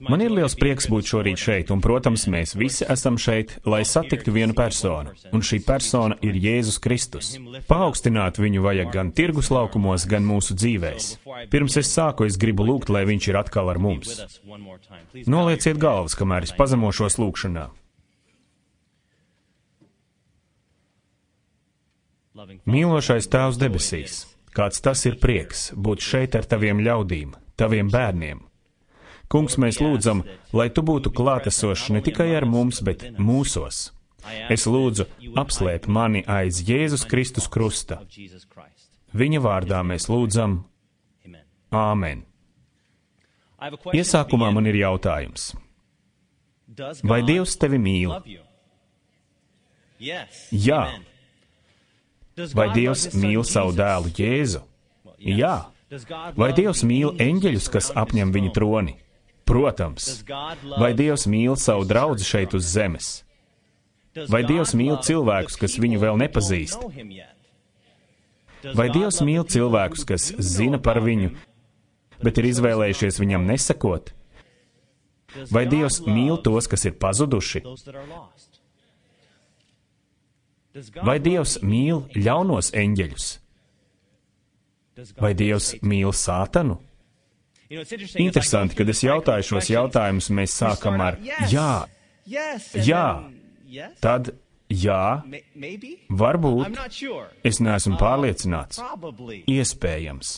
Man ir liels prieks būt šorīt šeit, un, protams, mēs visi esam šeit, lai satiktu vienu personu, un šī persona ir Jēzus Kristus. Paaugstināt viņu vajag gan tirgus laukumos, gan mūsu dzīvēs. Pirms es sāku, es gribu lūgt, lai viņš ir atkal ar mums. Nolieciet galvas, kamēr es pazemošos lūgšanā. Mīlošais Tēvs debesīs, kāds tas ir prieks būt šeit ar taviem ļaudīm, taviem bērniem. Kungs, mēs lūdzam, lai tu būtu klātesošs ne tikai ar mums, bet mūsos. Es lūdzu, apslēp mani aiz Jēzus Kristus krusta. Viņa vārdā mēs lūdzam. Āmen. Iesākumā man ir jautājums. Vai Dievs tevi mīl? Jā. Vai Dievs mīl savu dēlu Jēzu? Jā. Vai Dievs mīl eņģeļus, kas apņem viņa troni? Protams. Vai Dievs mīl savu draudzi šeit uz zemes? Vai Dievs mīl cilvēkus, kas viņu vēl nepazīst? Vai Dievs mīl cilvēkus, kas zina par viņu, bet ir izvēlējušies viņam nesakot? Vai Dievs mīl tos, kas ir pazuduši? Vai Dievs mīl ļaunos eņģeļus? Vai Dievs mīl Sātanu? Interesanti, kad es jautāju šos jautājumus, mēs sākam ar jā, jā, tad jā, varbūt, es neesmu pārliecināts, iespējams.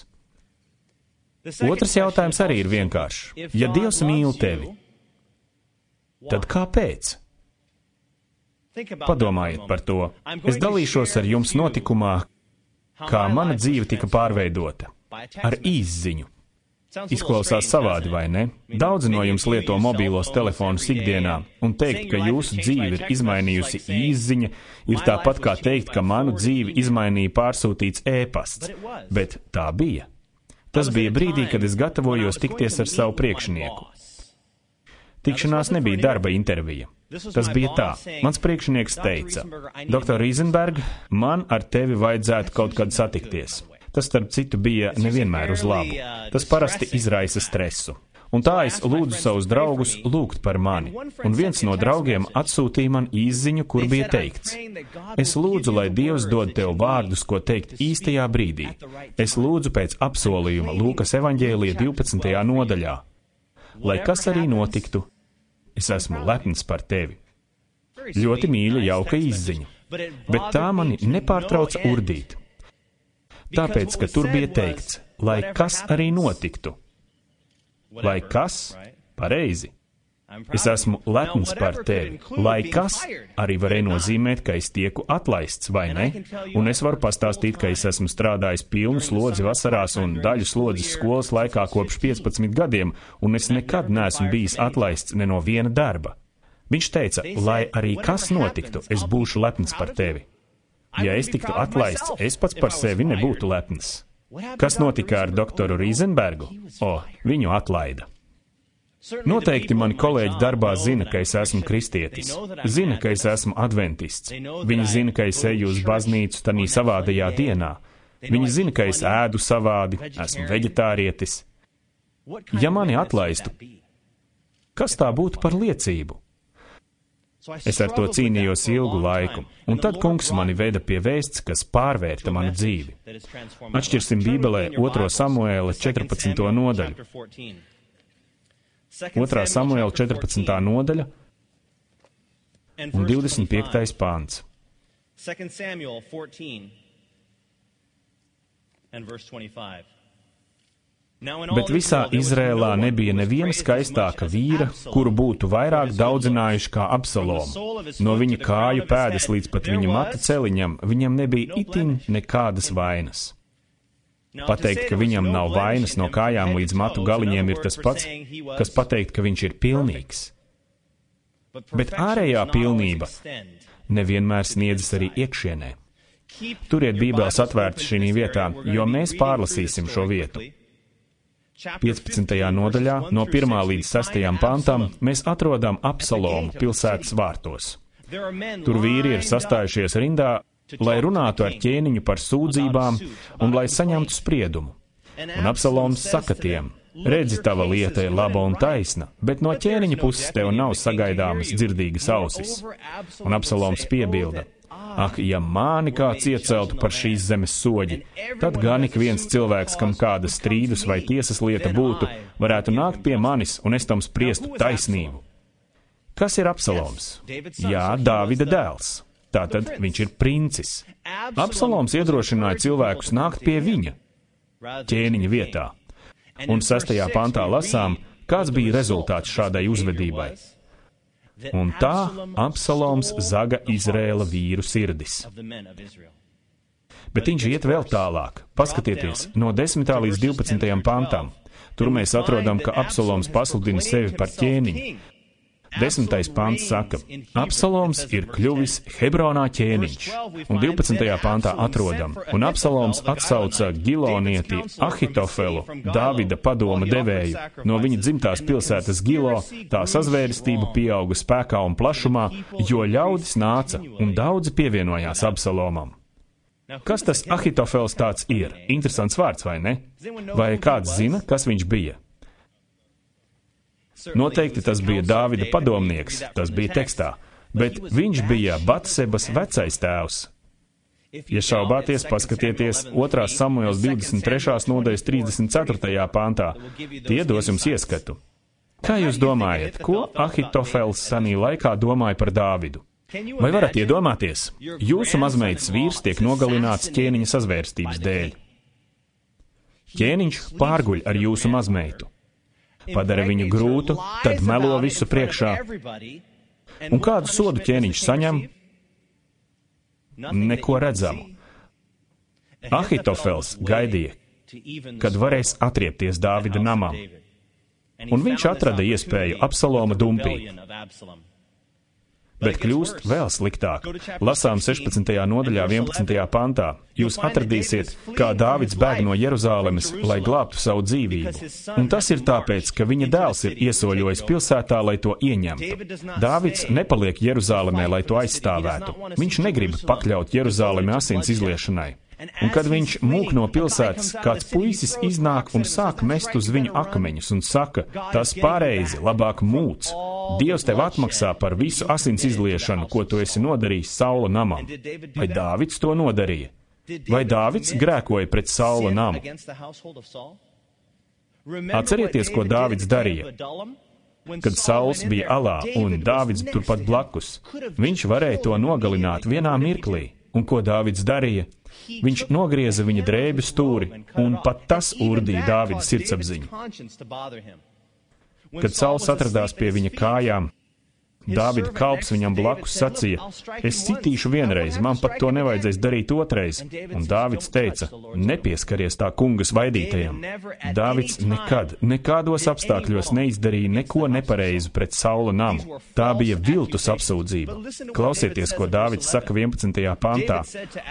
Otrs jautājums arī ir vienkāršs. Ja Dievs mīl tevi, tad kāpēc? Padomājiet par to. Es dalīšos ar jums notikumā, kā mana dzīve tika pārveidota, ar īsziņu. Izklausās savādi, vai ne? Daudzi no jums lieto mobīlos telefonus ikdienā, un teikt, ka jūsu dzīve ir izmainījusi īsziņa, ir tāpat kā teikt, ka manu dzīvi izmainīja pārsūtīts ēpasts. Bet tā bija. Tas bija brīdī, kad es gatavojos tikties ar savu priekšnieku. Tikšanās nebija darba intervija. Tas bija tā. Mans priekšnieks teica, Dr. Rīzenberg, man ar tevi vajadzētu kaut kad satikties. Tas, starp citu, bija nevienmēr uz labu. Tas parasti izraisa stresu. Un tā es lūdzu savus draugus lūgt par mani. Un viens no draugiem atsūtīja man īsziņu, kur bija teikts: Es lūdzu, lai Dievs dod tev vārdus, ko teikt īstajā brīdī. Es lūdzu pēc apsolījuma Lūkas evaņģēlija 12. nodaļā. Lai kas arī notiktu, es esmu lepns par tevi. Ļoti mīļa, jauka īsziņa. Bet tā mani nepārtrauca urdīt. Tāpēc, ka tur bija teikts, lai kas arī notiktu. Lai kas? Pareizi. Es esmu lepns par tevi. Lai kas arī varēja nozīmēt, ka es tieku atlaists, vai ne? Un es varu pastāstīt, ka es esmu strādājis pilnu slodzi vasarās un daļu slodzes skolas laikā kopš 15 gadiem, un es nekad neesmu bijis atlaists ne no viena darba. Viņš teica, lai arī kas notiktu, es būšu lepns par tevi. Ja es tiktu atlaists, es pats par sevi nebūtu lepns. Kas notika ar doktoru Rīzenbergu? Viņu atlaida. Noteikti mani kolēģi darbā zina, ka es esmu kristietis. Zina, ka es esmu adventists. Viņi zina, ka es eju uz baznīcu tanī savādajā dienā. Viņi zina, ka es ēdu savādi, esmu veģetārietis. Ja mani atlaistu, kas tā būtu par liecību? Es ar to cīnījos ilgu laiku, un tad Kungs mani veda pie vēsts, kas pārvērta manu dzīvi. Atšķirsim Bībelē 2. Samuēla 14. nodaļu. 2. Samuēla 14. nodaļa un 25. pāns. 2 Samuel 14 and verse 25. Bet visā Izrēlā nebija neviena skaistāka vīra, kuru būtu vairāk daudzinājuši kā Absalomu. No viņa kāju pēdas līdz pat viņa matu celiņam, viņam nebija itin nekādas vainas. Pateikt, ka viņam nav vainas no kājām līdz matu galiņiem, ir tas pats, kas pateikt, ka viņš ir pilnīgs. Bet ārējā pilnība nevienmēr sniedzas arī iekšienē. Turiet Bībeles atvērtas šī vietā, jo mēs pārlasīsim šo vietu. 15. nodaļā, no 1. līdz 6. pantam, mēs atrodam Absalomu pilsētas vārtos. Tur vīri ir sastājušies rindā, lai runātu ar ķēniņu par sūdzībām un lai saņemtu spriedumu. Un Absaloms saka tiem: Redzi, tava lieta ir laba un taisna, bet no ķēniņa puses tev nav sagaidāmas dzirdīgas ausis. Un Absaloms piebilda: ak, ja māni kāds ieceltu par šīs zemes soģi, tad gan ik viens cilvēks, kam kāda strīdus vai tiesas lieta būtu, varētu nākt pie manis, un es tam spriestu taisnību. Kas ir Absaloms? Jā, Dāvida dēls. Tātad viņš ir princis. Absaloms iedrošināja cilvēkus nākt pie viņa ķēniņa vietā. Un 6. pantā lasām, kāds bija rezultāts šādai uzvedībai. Un tā Absaloms zaga Izraēla vīru sirdis. Bet viņš iet vēl tālāk. Paskatieties, no 10. līdz 12. pantam. Tur mēs atrodam, ka Absaloms pasludina sevi par ķēniņu. 10. pants saka, Absaloms ir kļuvis Hebronā ķēniņš. Un 12. pantā atrodam, un Absaloms atsauca Gilonieti Ahitofelu, Dāvida padoma devēju, no viņa dzimtās pilsētas Gilo, tā sazvērestība pieauga spēkā un plašumā, jo ļaudis nāca un daudzi pievienojās Absalomam. Kas tas Ahitofels tāds ir? Interesants vārds, vai ne? Vai kāds zina, kas viņš bija? Noteikti tas bija Dāvida padomnieks, tas bija tekstā, bet viņš bija Batsebas vecais tēvs. Ja šaubāties, paskatieties 2. Samuēls 23. nodaļas 34. pantā, tie dos jums ieskatu. Kā jūs domājat, ko Ahitofels senī laikā domāja par Dāvidu? Vai varat iedomāties? Jūsu mazmeitas vīrs tiek nogalināts ķēniņa sazvērstības dēļ. Ķēniņš pārguļ ar jūsu mazmeitu. Padara viņu grūtu, tad melo visu priekšā. Un kādu sodu ķēniņš saņem? Neko redzamu. Ahitofels gaidīja, kad varēs atriepties Dāvida namam. Un viņš atrada iespēju Absaloma dumpī. Bet kļūst vēl sliktāk. Lasām 16. nodaļā 11. pantā. Jūs atradīsiet, kā Dāvids bēg no Jeruzālemes, lai glābtu savu dzīvību. Un tas ir tāpēc, ka viņa dēls ir iesoļojis pilsētā, lai to ieņemtu. Dāvids nepaliek Jeruzālemē, lai to aizstāvētu. Viņš negrib pakļaut Jeruzālemi asins izliešanai. Un kad viņš mūk no pilsētas, kāds puisis iznāk un sāk mest uz viņu akmeņus un saka, tas pareizi, labāk mūc. Dievs tev atmaksā par visu asins izliešanu, ko tu esi nodarījis Saula namam. Vai Dāvids to nodarīja? Vai Dāvids grēkoja pret Saula namu? Atcerieties, ko Dāvids darīja. Kad Sauls bija alā un Dāvids turpat blakus, viņš varēja to nogalināt vienā mirklī. Un ko Dāvids darīja? Viņš nogrieza viņa drēbju stūri, un pat tas urdīja Dāvida sirdsapziņu. Kad Sauls atradās pie viņa kājām, Dāvida kalps viņam blakus sacīja, es sitīšu vienreiz, man pat to nevajadzēs darīt otrais. Un Dāvids teica, nepieskaries tā kungas vaidītajam. Dāvids nekādos apstākļos neizdarīja neko nepareizu pret Saula namu. Tā bija viltus apsūdzība. Klausieties, ko Dāvids saka 11. pantā.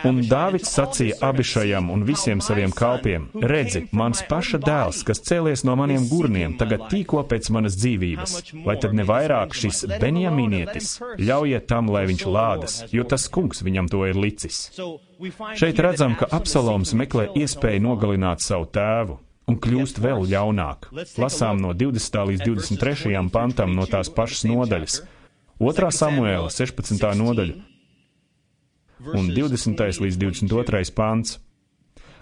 Un Dāvids sacīja Abišajam un visiem saviem kalpiem, redzi, mans paša dēls, kas cēlies no maniem gurniem, tagad tīko pēc manas dzīvības. Vai tad ne vairāk šis Benjamīnietis, ļaujiet tam, lai viņš lādas, jo tas kungs viņam to ir licis. Šeit redzam, ka Absaloms meklē iespēju nogalināt savu tēvu un kļūst vēl ļaunāk. Lasām no 20. līdz 23. pantam no tās pašas nodaļas. 2. Samuēla 16. nodaļa un 20. līdz 22. pants.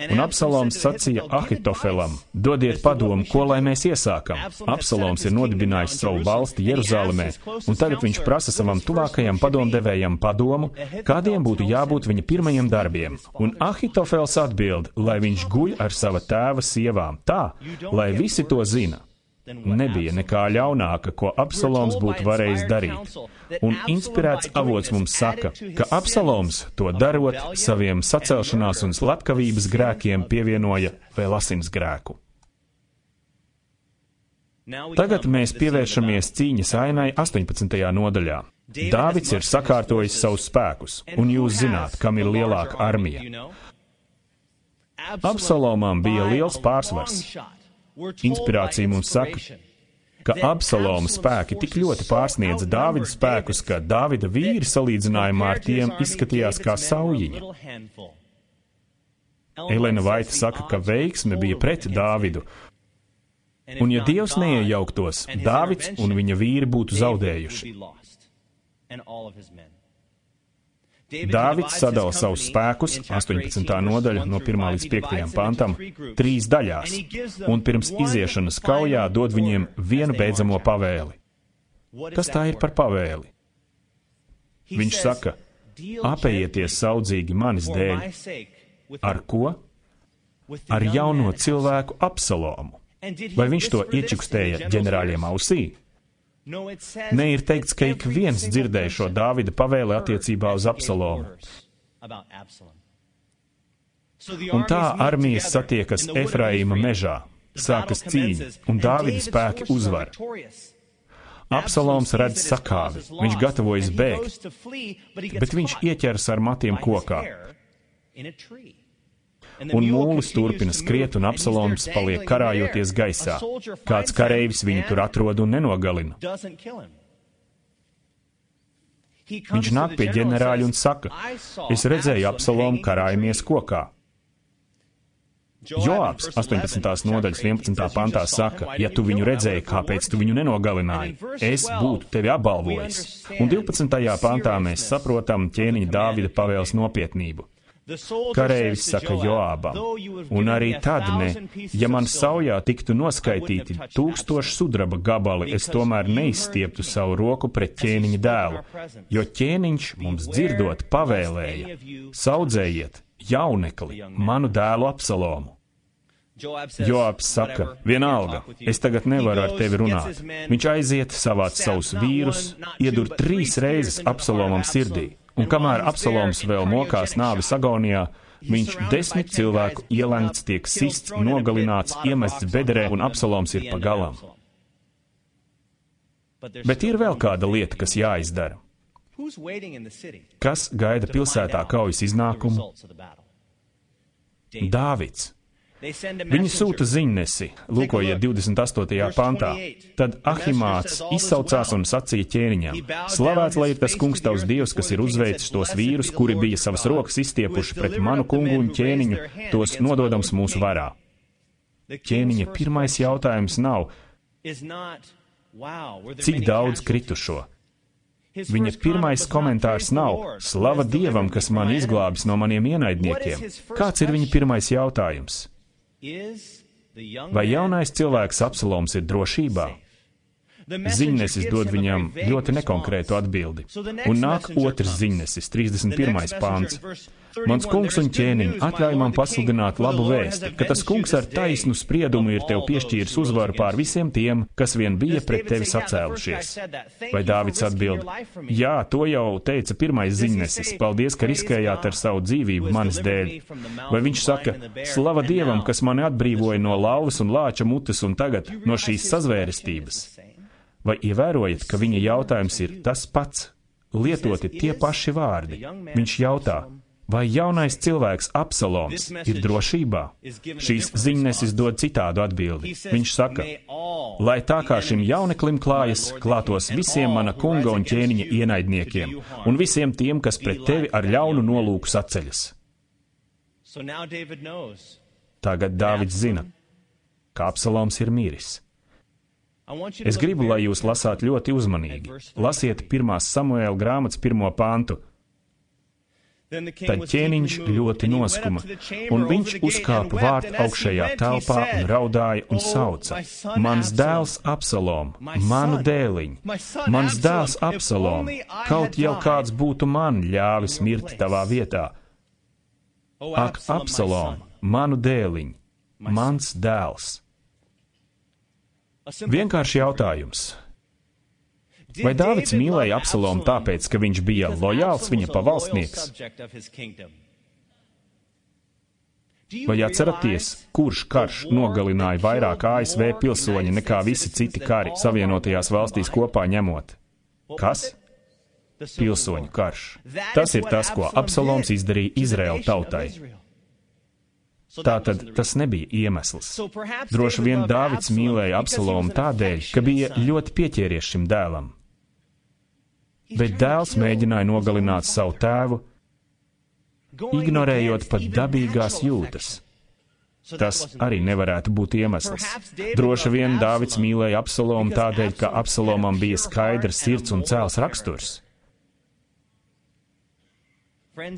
Un Absaloms sacīja Ahitofelam, dodiet padomu, ko lai mēs iesākam. Absaloms ir nodibinājis savu valsti Jeruzālemē, un tagad viņš prasa savam tuvākajam padomdevējam padomu, kādiem būtu jābūt viņa pirmajiem darbiem. Un Ahitofels atbild, lai viņš guļ ar sava tēva sievām, tā, lai visi to zina. Nebija nekā ļaunāka, ko Absaloms būtu varējis darīt. Un inspirēts avots mums saka, ka Absaloms to darot saviem sacelšanās un slepkavības grēkiem pievienoja vēl asins grēku. Tagad mēs pievēršamies cīņas ainai 18. nodaļā. Dāvids ir sakārtojis savus spēkus, un jūs zināt, kam ir lielāka armija. Absalomam bija liels pārsvars. Inspirācija mums saka, ka Absaloma spēki tik ļoti pārsniedza Dāvida spēkus, ka Dāvida vīri salīdzinājumā ar tiem izskatījās kā saujiņa. Elena Vaita saka, ka veiksme bija pret Dāvidu, Un ja Dievs neiejauktos, Dāvids un viņa vīri būtu zaudējuši. Dāvids sadala savus spēkus, 18. nodaļa no 1. līdz 5. pantam, 3 daļās, un pirms iziešanas kaujā dod viņiem vienu beidzamo pavēli. Kas tā ir par pavēli? Viņš saka, apējieties saudzīgi manis dēļ. Ar ko? Ar jauno cilvēku Absalomu. Vai viņš to iečukstēja ģenerāļiem ausī? Ne ir teikts, ka ik viens dzirdēja šo Dāvida pavēli attiecībā uz Absalomu. Un tā armijas satiekas Efraīma mežā, sākas cīņa, un Dāvida spēki uzvar. Absaloms redz sakāvi, viņš gatavojas bēgt, bet viņš ieķers ar matiem kokā. Un mūlis turpina skriet, un Absaloms paliek karājoties gaisā. Kāds kareivis viņu tur atrod un nenogalina. Viņš nāk pie ģenerāļa un saka, es redzēju Absalomu karājamies kokā. Joābs 18. nodaļas 11. pantā saka, ja tu viņu redzēji, kāpēc tu viņu nenogalināji? Es būtu tevi apbalvojis. Un 12. pantā mēs saprotam ķēniņa Dāvida pavēles nopietnību. Kareivis saka Joābam, un arī tad ne, ja man saujā tiktu noskaitīti 1000 sudraba gabali, es tomēr neizstieptu savu roku pret ķēniņa dēlu, jo ķēniņš mums dzirdot pavēlēja, saudzējiet jaunekli, manu dēlu Absalomu. Joābs saka, vienalga, es tagad nevaru ar tevi runāt. Viņš aiziet, savāc savus vīrus, iedur 3 reizes Absalomam sirdī. Un kamēr Absaloms vēl mokās nāves agonijā, viņš 10 cilvēku ielengts, tiek sists, nogalināts, iemests bedrē, un Absaloms ir pa galam. Bet ir vēl kāda lieta, kas jāizdara. Kas gaida pilsētā kaujas iznākumu? Dāvids. Viņi sūta ziņnesi, lūkojiet 28. pantā. Tad Ahimāts izsaucās un sacīja ķēniņam, slavēts lai ir tas kungs tavs Dievs, kas ir uzveicis tos vīrus, kuri bija savas rokas izstiepuši pret manu kungu un ķēniņu, tos nododams mūsu varā. Ķēniņa pirmais jautājums nav, cik daudz kritušo. Viņa pirmais komentārs nav, slava Dievam, kas man izglābis no maniem ienaidniekiem. Kāds ir viņa pirmais jautājums? Vai jaunais cilvēks Absaloms ir drošībā? Ziņnesis dod viņam ļoti nekonkrētu atbildi. Un nāk otrs ziņnesis, 31. pāns. Mans kungs un ķēniņ, atļauj man pasludināt labu vēsti, ka tas kungs ar taisnu spriedumu ir tev piešķīris uzvaru pār visiem tiem, kas vien bija pret tevi sacēlušies. Vai Dāvids atbild, jā, to jau teica pirmais ziņnesis, paldies, ka riskējāt ar savu dzīvību manis dēļ. Vai viņš saka, slava Dievam, kas mani atbrīvoja no lauvas un lāča mutes un tagad no šīs sazvērestības? Vai ievērojat, ka viņa jautājums ir tas pats, lietoti tie paši vārdi? Viņš jautā, vai jaunais cilvēks Absaloms ir drošībā? Šīs ziņnesis dod citādu atbildi. Viņš saka, lai tā kā šim jauneklim klājas, klātos visiem mana kunga un ķēniņa ienaidniekiem un visiem tiem, kas pret tevi ar ļaunu nolūku saceļas. Tagad Dāvids zina, ka Absaloms ir miris. Es gribu, lai jūs lasāt ļoti uzmanīgi. Lasiet 1. Samuēla grāmatas 1. pantu. Tad ķēniņš ļoti noskuma, un viņš uzkāpa vārtu augšējā telpā un raudāja un sauca, mans dēls Absalom, manu dēliņ, mans dēls Absalom, kaut jau kāds būtu man ļāvis mirt tavā vietā. Ak, Absalom, manu dēliņ, mans dēls. Vienkārši jautājums. Vai Dāvids mīlēja Absalomu tāpēc, ka viņš bija lojāls viņa pavalsnieks? Vai atceraties, kurš karš nogalināja vairāk ASV pilsoņi nekā visi citi kari Savienotajās valstīs kopā ņemot? Kas? Pilsoņu karš. Tas ir tas, ko Absaloms izdarīja Izraēla tautai. Tātad tas nebija iemesls. Droši vien Dāvids mīlēja Absalomu tādēļ, ka bija ļoti pieķēries šim dēlam. Bet dēls mēģināja nogalināt savu tēvu, ignorējot pat dabīgās jūtas. Tas arī nevarētu būt iemesls. Droši vien Dāvids mīlēja Absalomu tādēļ, ka Absalomam bija skaidrs sirds un cēls raksturs.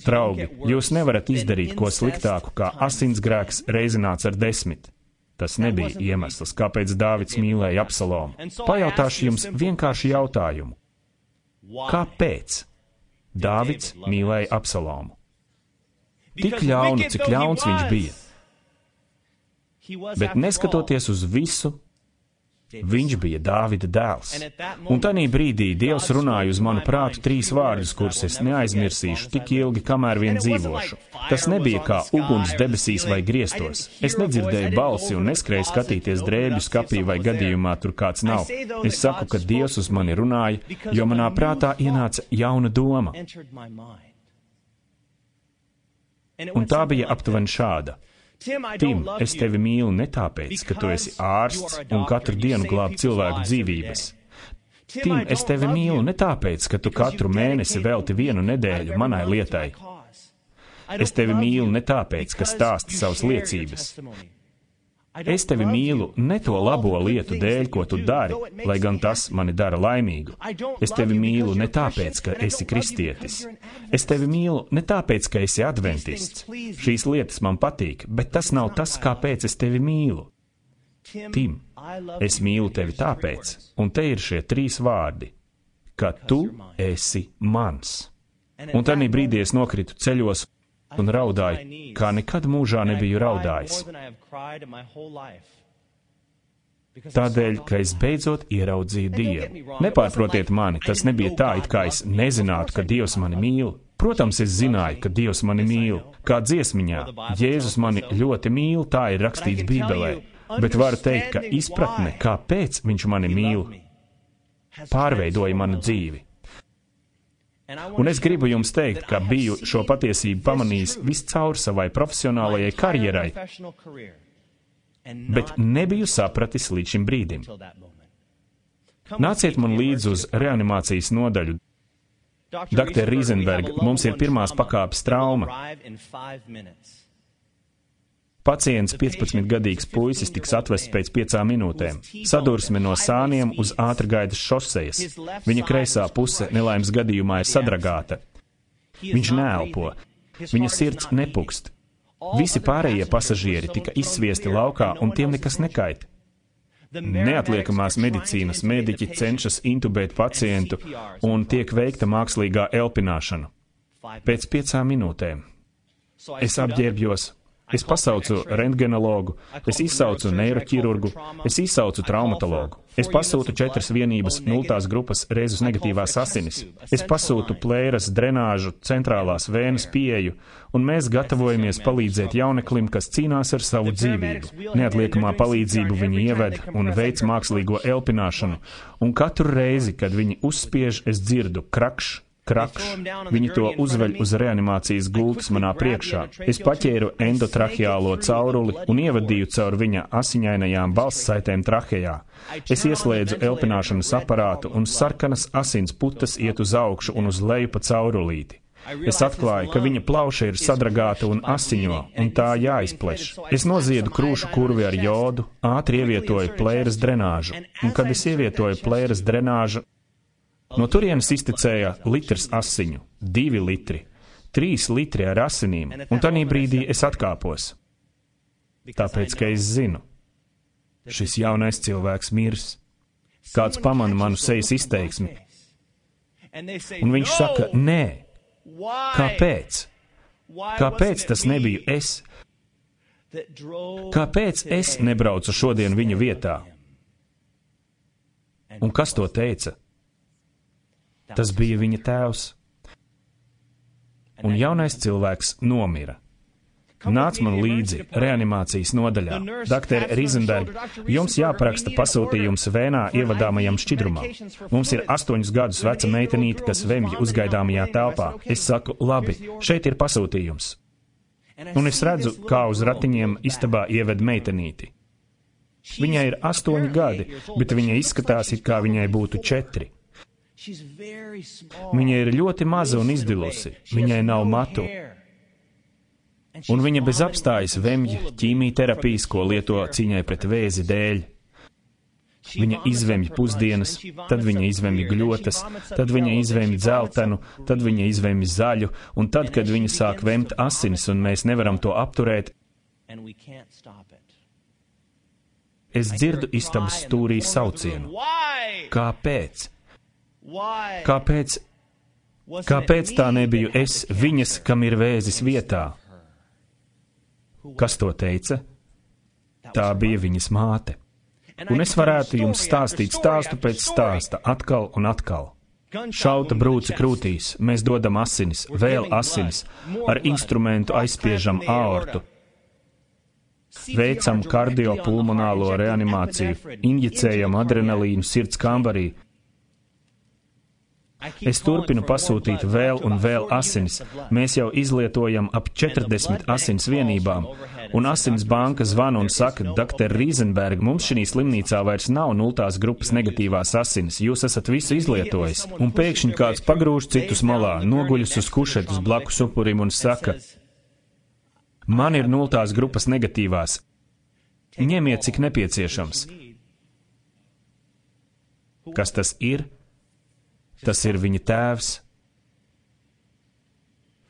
Draugi, jūs nevarat izdarīt ko sliktāku kā asinsgrēks reizināts ar 10. Tas nebija iemesls, kāpēc Dāvids mīlēja Absalomu. Pajautāšu jums vienkārši jautājumu. Kāpēc Dāvids mīlēja Absalomu? Tik ļaunu, cik ļauns viņš bija. Bet neskatoties uz visu, viņš bija Dāvida dēls. Un tanī brīdī Dievs runāja uz manu prātu 3 vārdus, kurus es neaizmirsīšu tik ilgi, kamēr vien dzīvošu. Tas nebija kā uguns debesīs vai griestos. Es nedzirdēju balsi un neskrēju skatīties drēbju skapī vai gadījumā tur kāds nav. Es saku, ka Dievs uz mani runāja, jo manā prātā ienāca jauna doma. Un tā bija aptuveni šāda. Tim, es tevi mīlu ne tāpēc, ka tu esi ārsts un katru dienu glāb cilvēku dzīvības. Tim, es tevi mīlu ne tāpēc, ka tu katru mēnesi velti 1 nedēļu manai lietai. Es tevi mīlu ne tāpēc, ka stāsti savas liecības. Es tevi mīlu ne to labo lietu dēļ, ko tu dari, lai gan tas mani dara laimīgu. Es tevi mīlu ne tāpēc, ka esi kristietis. Es tevi mīlu ne tāpēc, ka esi adventists. Šīs lietas man patīk, bet tas nav tas, kāpēc es tevi mīlu. Tim, es mīlu tevi tāpēc, un te ir šie 3 vārdi, ka tu esi mans. Un tanī brīdī es nokritu ceļos un raudāju, kā nekad mūžā nebiju raudājis. Tādēļ, ka es beidzot ieraudzīju Dievu. Nepārprotiet mani, tas nebija tā, it kā es nezinātu, ka Dievs mani mīl. Protams, es zināju, ka Dievs mani mīl. Kā dziesmiņā, Jēzus mani ļoti mīl, tā ir rakstīts Bībelē. Bet varu teikt, ka izpratne, kāpēc viņš mani mīl, pārveidoja manu dzīvi. Un es gribu jums teikt, ka biju šo patiesību pamanījis viscaur savai profesionālajai karjerai, bet nebiju sapratis līdz šim brīdim. Nāciet man līdzi uz reanimācijas nodaļu. Dr. Rīzenberg, mums ir pirmās pakāpes trauma. Pacients, 15-gadīgs puisis, tiks atvests pēc 5 minūtēm. Sadursme no sāniem uz ātrgaitas šosejas. Viņa kreisā puse nelaimes gadījumā ir sadragāta. Viņš neelpo. Viņa sirds nepukst. Visi pārējie pasažieri tika izsviesti laukā, un tiem nekas nekait. Neatliekamās medicīnas mediķi cenšas intubēt pacientu, un tiek veikta mākslīgā elpināšana. Pēc 5 minūtēm. Es apģērbjos. Es pasaucu rentgenologu, es izsaucu neiroķirurgu, es izsaucu traumatologu. Es pasūtu 4 vienības 0. grupas rezus negatīvās asinis. Es pasūtu plēras, drenāžu, centrālās vēnes pieeju, un mēs gatavojamies palīdzēt jauneklim, kas cīnās ar savu dzīvību. Neatliekamā palīdzību viņi ieved un veic mākslīgo elpināšanu, un katru reizi, kad viņi uzspiež, es dzirdu krakš. Viņi to uzveļ uz reanimācijas gultas manā priekšā. Es paķēru endotraheālo cauruli un ievadīju caur viņa asiņainajām balssaitēm trahejā. Es ieslēdzu elpināšanas aparātu un sarkanas asins putas iet uz augšu un uz leju pa caurulīti. Es atklāju, ka viņa plauša ir sadragāta un asiņo, un tā jāizpleš. Es noziedu krūšu kurvi ar jodu, ātri ievietoju plēras drenāžu, un kad es ievietoju plēras drenāžu, no turienes iztecēja litrs asiņu, 2 litri, 3 litri ar asinīm, un tanī brīdī es atkāpos. Tāpēc, ka es zinu, šis jaunais cilvēks mirs. Kāds pamana manu sejas izteiksmi. Un viņš saka, nē. Kāpēc? Kāpēc tas nebiju es? Kāpēc es nebraucu šodien viņa vietā? Un kas to teica? Tas bija viņa tēvs. Un jaunais cilvēks nomira. Nāc man līdzi reanimācijas nodaļā. Dr. Rīzenberg, jums jāparaksta pasūtījums vēnā ievadāmajam šķidrumam. Mums ir 8 gadus veca meitenīte, kas vemj uzgaidāmajā telpā. Es saku, labi, šeit ir pasūtījums. Un es redzu, kā uz ratiņiem istabā ieved meitenīti. Viņai ir 8 gadi, bet viņa izskatās, it kā viņai būtu 4. Viņa ir ļoti maza un izdilusi. Viņai nav matu. Un viņa bez apstājas vemj ķīmijterapijas, ko lieto cīņai pret vēzi dēļ. Viņa izvemj pusdienas, tad viņa izvemj gļotas, tad viņa izvemj dzeltenu, tad viņa izvemj zaļu, un tad, kad viņa sāk vemt asinis un mēs nevaram to apturēt, es dzirdu istabas stūrī saucienu. Kāpēc? Kāpēc tā nebiju es, viņas, kam ir vēzis vietā? Kas to teica? Tā bija viņas māte. Un es varētu jums stāstīt stāstu pēc stāsta, atkal un atkal. Šauta brūce krūtīs, mēs dodam asinis, vēl asinis, ar instrumentu aizspiežam aortu, veicam kardiopulmonālo reanimāciju, injicējam adrenalīnu sirds kambarī. Es turpinu pasūtīt vēl un vēl asinis. Mēs jau izlietojam ap 40 asins vienībām, un asins banka zvana un saka, Dr. Riesenberg, mums šī slimnīcā vairs nav 0. grupas negatīvās asinis, jūs esat visu izlietojis. Un pēkšņi kāds pagrūž citus malā, noguļas uz kušetes blakus upurim un saka, man ir 0. grupas negatīvās, ņemiet cik nepieciešams. Kas tas ir? Tas ir viņa tēvs.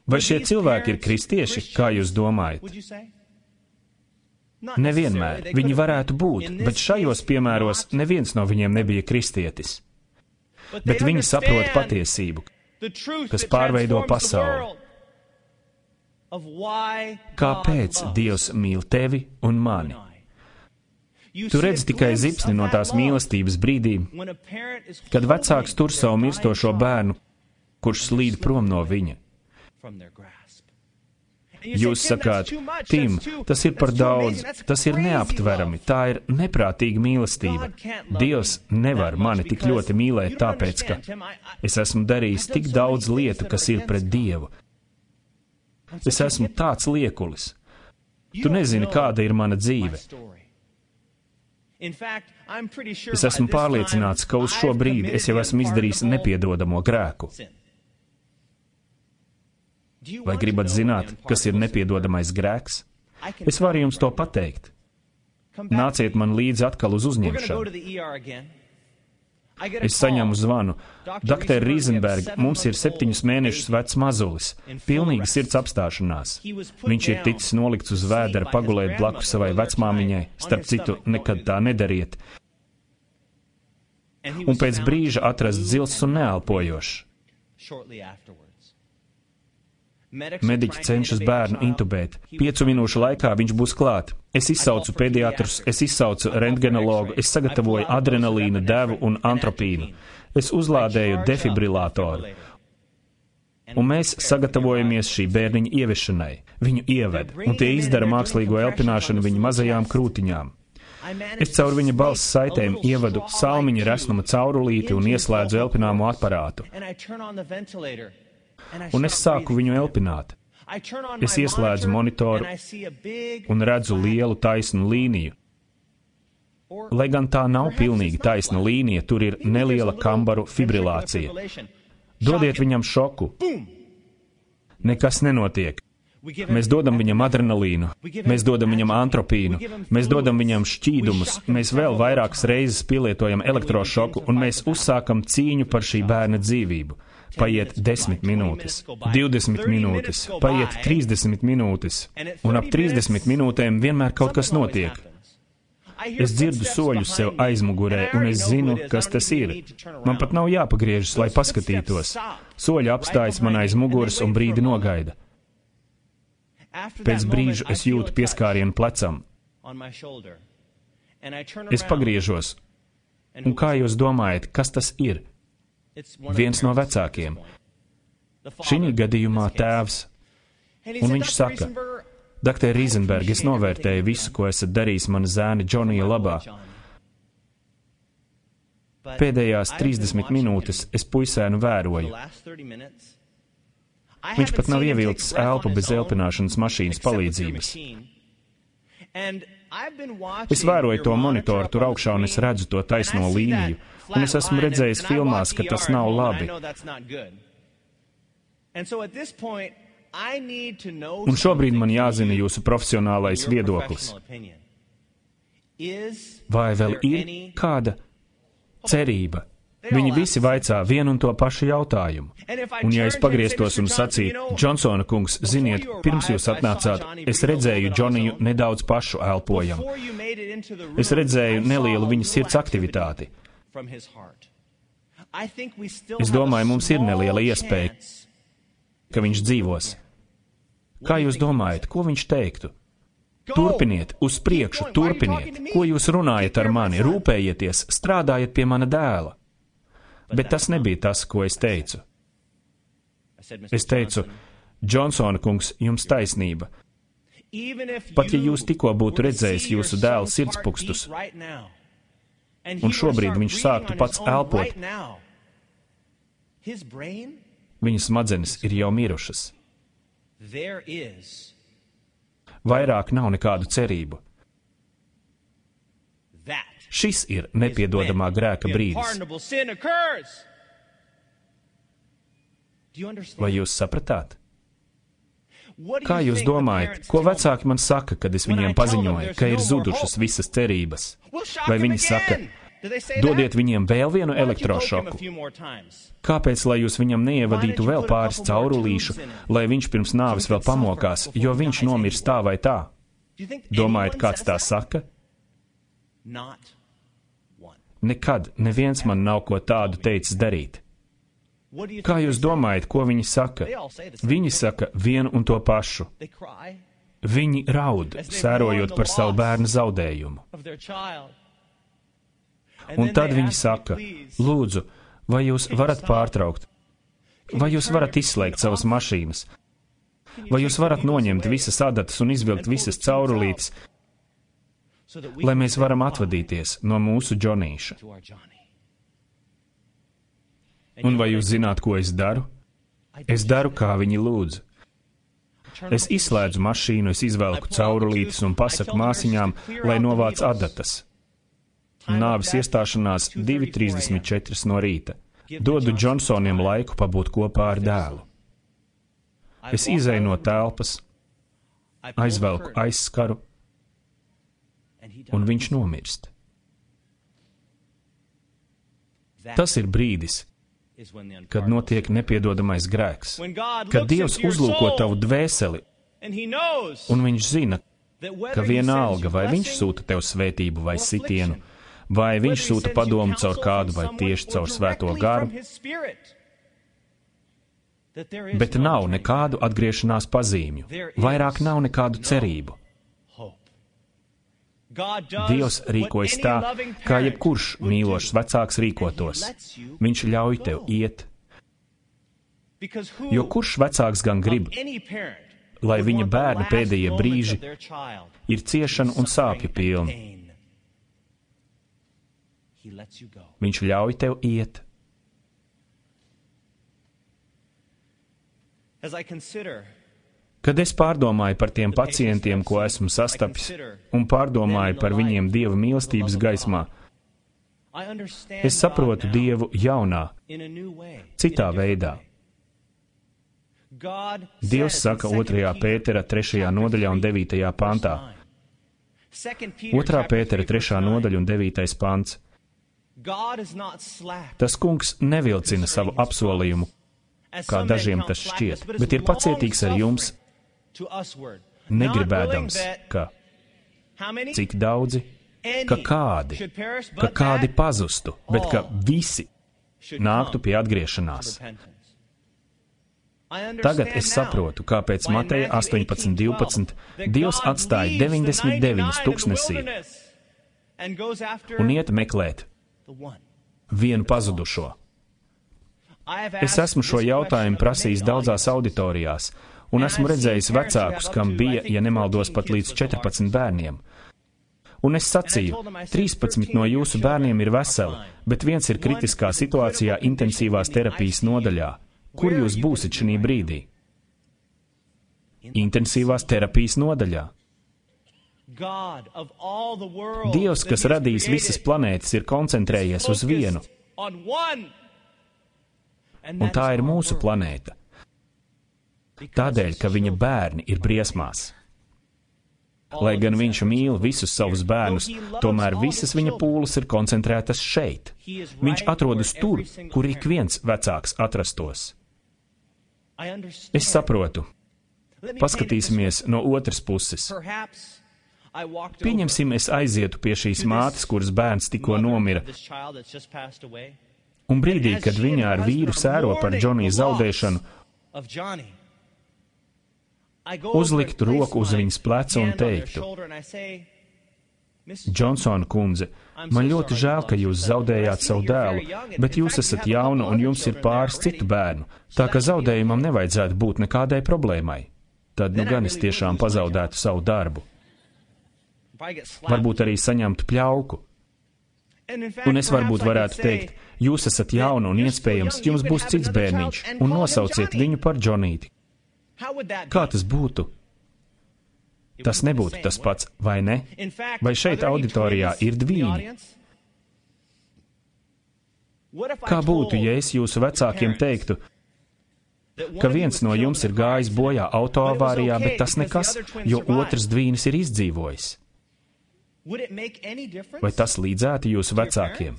Vai šie cilvēki ir kristieši, kā jūs domājat? Nevienmēr. Viņi varētu būt, bet šajos piemēros neviens no viņiem nebija kristietis. Bet viņi saprot patiesību, kas pārveido pasauli. Kāpēc Dievs mīl tevi un mani? Tu redzi tikai zipsni no tās mīlestības brīdī, kad vecāks tur savu mirstošo bērnu, kurš slīd prom no viņa. Jūs sakāt, Tim, tas ir par daudz, tas ir neaptverami, tā ir neprātīga mīlestība. Dievs nevar mani tik ļoti mīlēt, tāpēc, ka es esmu darījis tik daudz lietu, kas ir pret Dievu. Es esmu tāds liekulis. Tu nezini, kāda ir mana dzīve. Es esmu pārliecināts, ka uz šo brīdi es jau esmu izdarījis nepiedodamo grēku. Vai gribat zināt, kas ir nepiedodamais grēks? Es varu jums to pateikt. Nāciet man līdzi atkal uz uzņemšanu. Es saņemu zvanu. Dr. Riesenberg, mums ir 7 mēnešus vecs mazulis, pilnīga sirds apstāšanās. Viņš ir ticis nolikts uz vēdera pagulēt blakus savai vecmāmiņai, starp citu, nekad tā nedariet. Un pēc brīža atrasts zils un neelpojošs. Mediķi cenšas bērnu intubēt. 5 minūšu laikā viņš būs klāt. Es izsaucu pediatrus, es izsaucu rentgenologu, es sagatavoju adrenalīna devu un antropīnu. Es uzlādēju defibrilātoru. Un mēs sagatavojamies šī bērniņa ieviešanai. Viņu ieved, un tie izdara mākslīgo elpināšanu viņa mazajām krūtiņām. Es caur viņa balss saitēm ievadu salmiņa resnuma caurulīti un ieslēdzu elpināmo aparātu. Un es sāku viņu elpināt. Es ieslēdzu monitoru un redzu lielu taisnu līniju. Lai gan tā nav pilnīgi taisna līnija, tur ir neliela kambaru fibrilācija. Dodiet viņam šoku. Nekas nenotiek. Mēs dodam viņam adrenalīnu, mēs dodam viņam antropīnu, mēs dodam viņam šķīdumus, mēs vēl vairākas reizes pielietojam elektrošoku un mēs uzsākam cīņu par šī bērna dzīvību. Paiet 10 minūtes, 20 minūtes, paiet 30 minūtes, un ap 30 minūtēm vienmēr kaut kas notiek. Es dzirdu soļus sev aizmugurē, un es zinu, kas tas ir. Man pat nav jāpagriežas, lai paskatītos. Soļi apstājas man aiz muguras un brīdi nogaida. Pēc brīža es jūtu pieskārienu plecam. Es pagriežos. Un kā jūs domājat, kas tas ir? Viens no vecākiem. Šī gadījumā tēvs. Un viņš saka, Dr. Riesenberg, es novērtēju visu, ko esat darījis mana zēna Džonija labā. Pēdējās 30 minūtes es puisēnu vēroju. Viņš pat nav ievilcis elpu bez elpināšanas mašīnas palīdzības. Es vēroju to monitoru tur augšā un es redzu to taisno līniju, un es esmu redzējis filmās, ka tas nav labi. Un šobrīd man jāzina jūsu profesionālais viedoklis. Vai vēl ir kāda cerība? Viņi visi vaicā vienu un to pašu jautājumu. Un ja es pagrieztos un sacītu, Džonsona kungs, ziniet, pirms jūs atnācāt, es redzēju Džoniju nedaudz pašu elpojamu. Es redzēju nelielu viņa sirds aktivitāti. Es domāju, mums ir neliela iespēja, ka viņš dzīvos. Kā jūs domājat, ko viņš teiktu? Turpiniet, uz priekšu, turpiniet. Ko jūs runājat ar mani? Rūpējieties, strādājiet pie mana dēla. Bet tas nebija tas, ko es teicu. Es teicu, Džonsona kungs, jums taisnība. Pat ja jūs tikko būtu redzējis jūsu dēla sirdspūkstus, un šobrīd viņš sāktu pats elpot, viņa smadzenes ir jau mirušas. Vairāk nav nekādu cerību. Šis ir nepiedodamā grēka brīdis. Vai jūs sapratāt? Kā jūs domājat, ko vecāki man saka, kad es viņiem paziņoju, ka ir zudušas visas cerības? Vai viņi saka, dodiet viņiem vēl vienu elektrošoku? Kāpēc, lai jūs viņam neievadītu vēl pāris caurulīšu, lai viņš pirms nāves vēl pamokās, jo viņš nomirs tā vai tā? Domājat, kāds tā saka? Nekad neviens man nav ko tādu teicis darīt. Kā jūs domājat, ko viņi saka? Viņi saka vienu un to pašu. Viņi raud, sērojot par savu bērnu zaudējumu. Un tad viņi saka, lūdzu, vai jūs varat pārtraukt? Vai jūs varat izslēgt savas mašīnas? Vai jūs varat noņemt visas adatas un izvilkt visas caurulītes, lai mēs varam atvadīties no mūsu Džonīša? Un vai jūs zināt, ko es daru? Es daru, kā viņi lūdz. Es izslēdzu mašīnu, es izvelku caurulītes un pasaku māsiņām, lai novāc adatas. Nāves iestāšanās 2:34 no rīta. Dodu Džonsoniem laiku pabūt kopā ar dēlu. Es izēju no telpas, aizvelku aizskaru, un viņš nomirst. Tas ir brīdis, kad notiek nepiedodamais grēks, kad Dievs uzlūko tavu dvēseli, un viņš zina, ka vienalga, vai viņš sūta tev svētību vai sitienu, vai viņš sūta padomu caur kādu vai tieši caur Svēto garu, bet nav nekādu atgriešanās pazīmju, vairāk nav nekādu cerību. Dievs rīkojas tā, kā jebkurš mīlošs vecāks rīkotos. Viņš ļauj tev iet. Jo kurš vecāks gan grib, lai viņa bērna pēdējie brīži ir ciešanu un sāpju pilni? Viņš ļauj tev iet. Kad es pārdomāju par tiem pacientiem, ko esmu sastapis, un pārdomāju par viņiem Dieva mīlestības gaismā, es saprotu Dievu jaunā, citā veidā. Dievs saka 2. Pētera 3. nodaļā un 9. pantā. 2. Pētera 3. nodaļa un 9. pants. Tas kungs nevilcina savu apsolījumu, kā dažiem tas šķiet, bet ir pacietīgs ar jums, negribēdams, ka cik daudzi, ka kādi pazustu, bet ka visi nāktu pie atgriešanās. Tagad es saprotu, kāpēc Mateja 18:12 Dievs atstāja 99 tuksnesī un iet meklēt vienu pazudušo. Es esmu šo jautājumu prasījis daudzās auditorijās, un esmu redzējis vecākus, kam bija, ja nemaldos, pat līdz 14 bērniem. Un es sacīju, 13 no jūsu bērniem ir veseli, bet viens ir kritiskā situācijā intensīvās terapijas nodaļā. Kur jūs būsiet šī brīdī? Intensīvās terapijas nodaļā. Dievs, kas radījis visas planētas, ir koncentrējies uz vienu. Un tā ir mūsu planēta. Tādēļ, ka viņa bērni ir briesmās. Lai gan viņš mīl visus savus bērnus, tomēr visas viņa pūles ir koncentrētas šeit. Viņš atrodas tur, kur ik viens vecāks atrastos. Es saprotu. Paskatīsimies no otras puses. Pieņemsim, es aizietu pie šīs mātes, kuras bērns tikko nomira, un brīdī, kad viņa ar vīru sēro par Džonija zaudēšanu, uzliktu roku uz viņas pleca un teiktu: Džonsona kundze, man ļoti žēl, ka jūs zaudējāt savu dēlu, bet jūs esat jauna un jums ir pāris citu bērnu, tā ka zaudējumam nevajadzētu būt nekādai problēmai. Tad nu gan es tiešām pazaudētu savu darbu. Varbūt arī saņemtu pļauku. Un es varbūt varētu teikt: jūs esat jauna un iespējams jums būs cits bērniņš, un nosauciet viņu par Džonīti. Kā tas būtu? Tas nebūtu tas pats, vai ne? Vai šeit auditorijā ir dvīņi? Kā būtu, ja es jūsu vecākiem teiktu, ka viens no jums ir gājis bojā autoavārijā, bet tas nekas, jo otrs dvīnis ir izdzīvojis? Vai tas līdzētu jūsu vecākiem?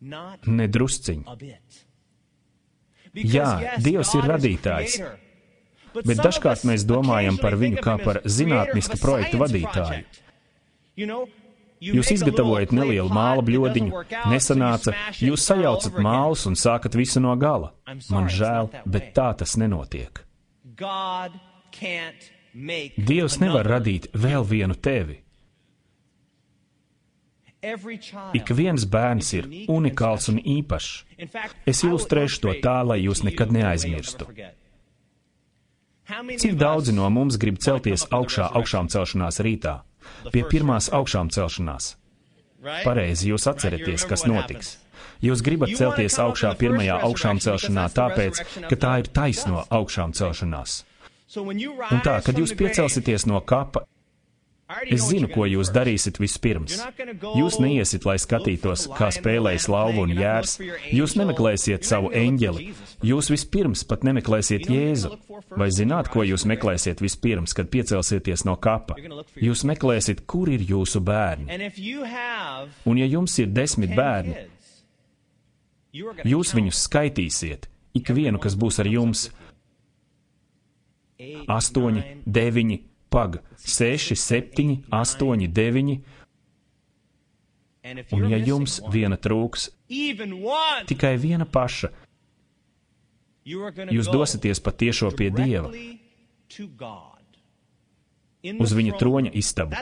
Nedrusciņi. Jā, Dievs ir radītājs, bet dažkārt mēs domājam par viņu kā par zinātniska projekta vadītāju. Jūs izgatavojat nelielu māla bļodiņu, nesanāca, jūs sajaucat mālus un sākat visu no gala. Man žēl, bet tā tas nenotiek. Dievs nevar radīt vēl vienu tevi. Ik viens bērns ir unikāls un īpašs. Es ilustrēšu to tā, lai jūs nekad neaizmirstu. Cik daudzi no mums grib celties augšā augšām celšanās rītā? Pie pirmās augšām celšanās. Pareizi, jūs atceraties, kas notiks. Jūs gribat celties augšā pirmajā augšām celšanā tāpēc, ka tā ir taisno augšām celšanās. Un tā, kad jūs piecelsieties no kapa, es zinu, ko jūs darīsiet vispirms. Jūs neiesit, lai skatītos, kā spēlējas lauva un jērs. Jūs nemeklēsiet savu eņģeli. Jūs vispirms pat nemeklēsiet Jēzu. Vai zināt, ko jūs meklēsiet vispirms, kad piecelsieties no kapa? Jūs meklēsiet, kur ir jūsu bērni. Un ja jums ir 10 bērni, jūs viņus skaitīsiet, ikvienu, kas būs ar jums. 8, 9, 6, 7, 8, 9. Un ja jums viena trūks, tikai viena paša, jūs dosieties patiešo pie Dieva, uz viņa troņa istabu.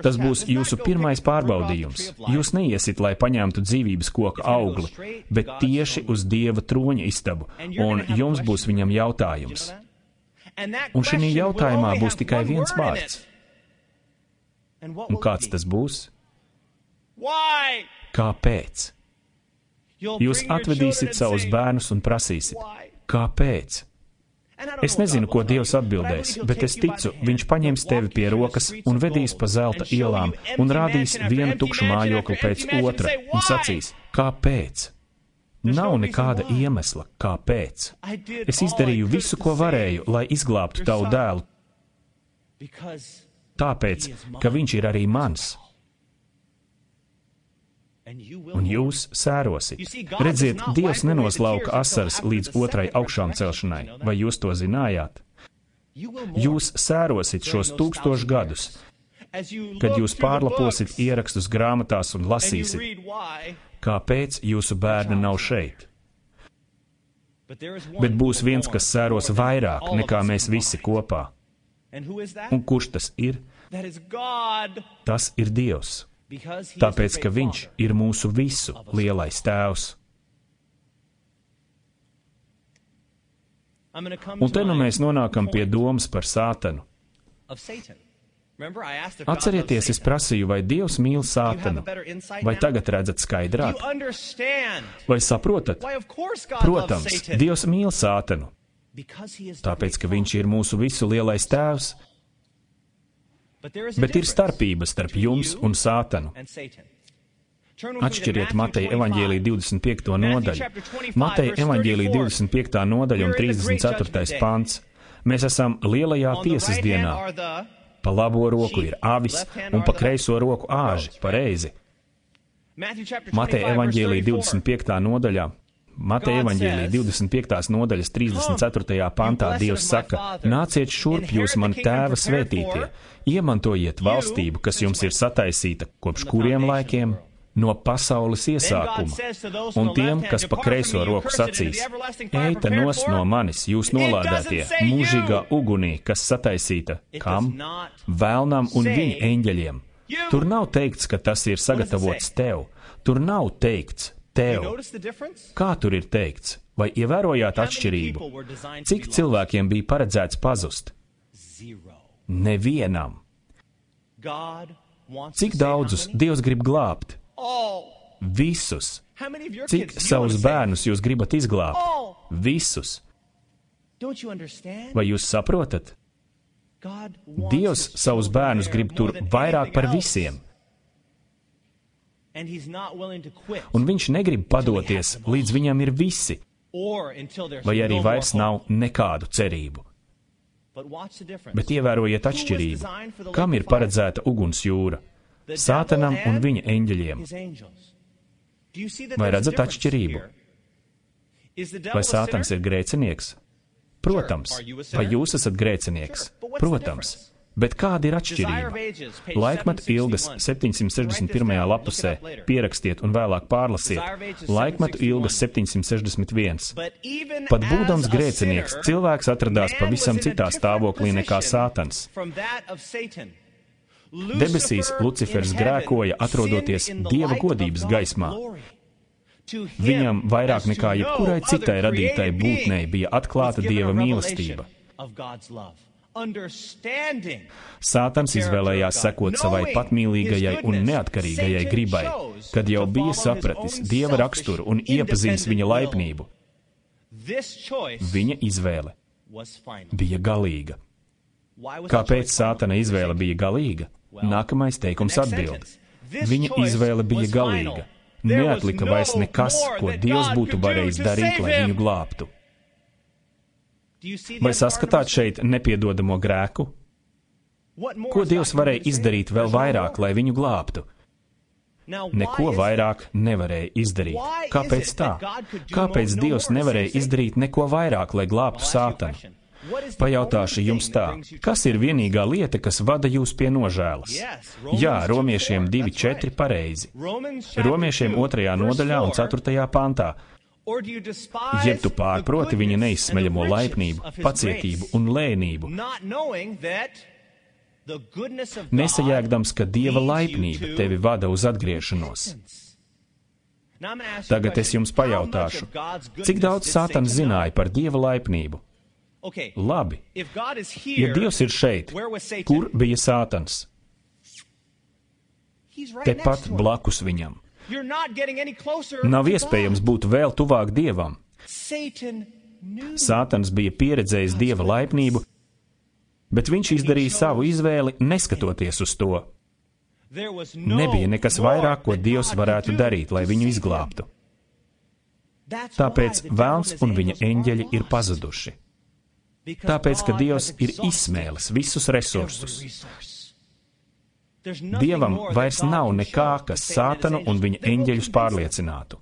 Tas būs jūsu pirmais pārbaudījums. Jūs neiesit, lai paņemtu dzīvības koka augli, bet tieši uz Dieva troņa istabu, un jums būs viņam jautājums. Un šī jautājumā būs tikai viens vārds. Un kāds tas būs? Kāpēc? Jūs atvedīsiet savus bērnus un prasīsiet, kāpēc? Es nezinu, ko Dievs atbildēs, bet es ticu, viņš paņems tevi pie rokas un vedīs pa zelta ielām un rādīs vienu tukšu mājokli pēc otra un sacīs, kāpēc? Nav nekāda iemesla, kāpēc. Es izdarīju visu, ko varēju, lai izglābtu tavu dēlu, tāpēc, ka viņš ir arī mans. Un jūs sērosit. Redziet, Dievs nenoslauka asaras līdz otrai augšām celšanai. Vai jūs to zinājāt? Jūs sērosit šos 1000 gadus, kad jūs pārlaposit ierakstus grāmatās un lasīsit, kāpēc jūsu bērni nav šeit. Bet būs viens, kas sēros vairāk nekā mēs visi kopā. Un kurš tas ir? Tas ir Dievs. Tāpēc, ka viņš ir mūsu visu lielais tēvs. Un te nu mēs nonākam pie domas par Sātanu. Atcerieties, es prasīju, vai Dievs mīl Sātanu? Vai tagad redzat skaidrāk? Vai saprotat? Protams, Dievs mīl Sātanu, tāpēc, ka viņš ir mūsu visu lielais tēvs. Bet ir starpība starp jums un Sātanu. Atšķiriet Mateja evaņģēlija 25. nodaļu. Mateja evaņģēlija 25. nodaļa un 34. pants. Mēs esam lielajā tiesas dienā. Pa labo roku ir avis un pa kreiso roku āži, pareizi. Mateja evaņģēlija 25. nodaļā. Mateja evaņģēlija 25. nodaļas 34. pantā Dievs saka: Nāciet šurp, jūs mani tēva svētītie, iemantojiet valstību, kas jums ir sataisīta kopš kuriem laikiem? No pasaules iesākuma. Un tiem, kas pa kreiso roku sacīs: Eita nos no manis, jūs nolādētie, mūžīgā ugunī, kas sataisīta. Kam? Vēlnam un viņa eņģeļiem. Tur nav teikts, ka tas ir sagatavots tev. Tur nav teikts tev. Kā tur ir teikts? Vai ievērojāt atšķirību? Cik cilvēkiem bija paredzēts pazust? Nevienam. Cik daudzus Dievs grib glābt? Visus. Cik savus bērnus jūs gribat izglābt? Visus. Vai jūs saprotat? Dievs savus bērnus grib tur vairāk par visiem. Un viņš negrib padoties, līdz viņam ir visi, vai arī vairs nav nekādu cerību. Bet ievērojiet atšķirību. Kam ir paredzēta uguns jūra? Sātanam un viņa eņģeļiem. Vai redzat atšķirību? Vai Sātans ir grēcinieks? Protams. Vai jūs esat grēcinieks? Protams. Bet kāda ir atšķirība? Laikmetu ilgas 761. lapusē pierakstiet un vēlāk pārlasiet. Laikmetu ilgas 761. Pat būdams grēcinieks, cilvēks atradās pavisam citā stāvoklī nekā Sātans. Debesīs Lucifers grēkoja, atrodoties Dieva godības gaismā. Viņam vairāk nekā jebkurai citai radītai būtnei bija atklāta Dieva mīlestība. Sātans izvēlējās sekot savai patmīlīgajai un neatkarīgajai gribai, kad jau bija sapratis Dieva raksturu un iepazīstis viņa laipnību. Viņa izvēle bija galīga. Kāpēc Sātana izvēle bija galīga? Nākamais teikums atbild. Viņa izvēle bija galīga. Neatlika vairs nekas, ko Dievs būtu varējis darīt, lai viņu glābtu. Vai saskatāt šeit nepiedodamo grēku? Ko Dievs varēja izdarīt vēl vairāk, lai viņu glābtu? Neko vairāk nevarēja izdarīt. Kāpēc tā? Kāpēc Dievs nevarēja izdarīt neko vairāk, lai glābtu Sātanu? Pajautāšu jums tā, kas ir vienīgā lieta, kas vada jūs pie nožēlas? Jā, Romiešiem 2:4 pareizi. Romiešiem 2. nodaļā un 4. pantā. Jeb tu pārproti viņa neizsmeļamo laipnību, pacietību un lēnību, nesajēgdams, ka Dieva laipnība tevi vada uz atgriešanos. Tagad es jums pajautāšu, cik daudz Sātans zināja par Dieva laipnību? Labi, ja Dievs ir šeit, kur bija Sātans? Tepat blakus viņam. Nav iespējams būt vēl tuvāk Dievam. Sātans bija pieredzējis Dieva laipnību, bet viņš izdarīja savu izvēli, neskatoties uz to. Nebija nekas vairāk, ko Dievs varētu darīt, lai viņu izglābtu. Tāpēc velns un viņa eņģeļi ir pazuduši. Tāpēc, ka Dievs ir izsmēlis visus resursus. Dievam vairs nav nekā, kas Sātanu un viņa eņģeļus pārliecinātu.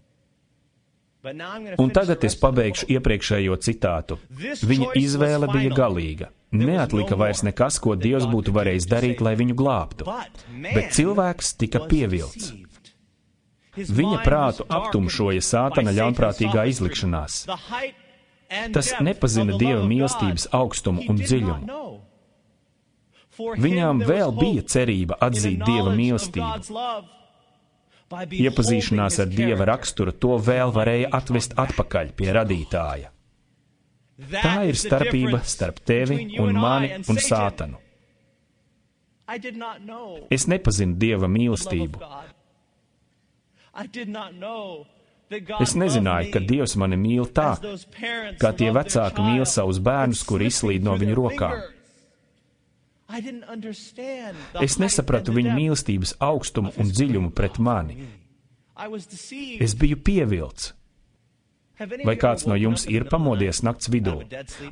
Un tagad es pabeigšu iepriekšējo citātu. Viņa izvēle bija galīga. Neatlika vairs nekas, ko Dievs būtu varējis darīt, lai viņu glābtu. Bet cilvēks tika pievilts. Viņa prātu aptumšoja Sātana ļaunprātīgā izlikšanās. Tas nepazina Dieva mīlestības augstumu un dziļumu. Viņām vēl bija cerība atzīt Dieva mīlestību. Iepazīšanās ar Dieva raksturu to vēl varēja atvest atpakaļ pie radītāja. Tā ir starpība starp tevi un mani un Sātanu. Es nepazinu Dieva mīlestību. Es nezināju, ka Dievs mani mīl tā, kā tie vecāki mīl savus bērnus, kuri izslīd no viņu rokām. Es nesapratu viņa mīlestības augstumu un dziļumu pret mani. Es biju pievilts. Vai kāds no jums ir pamodies nakts vidū?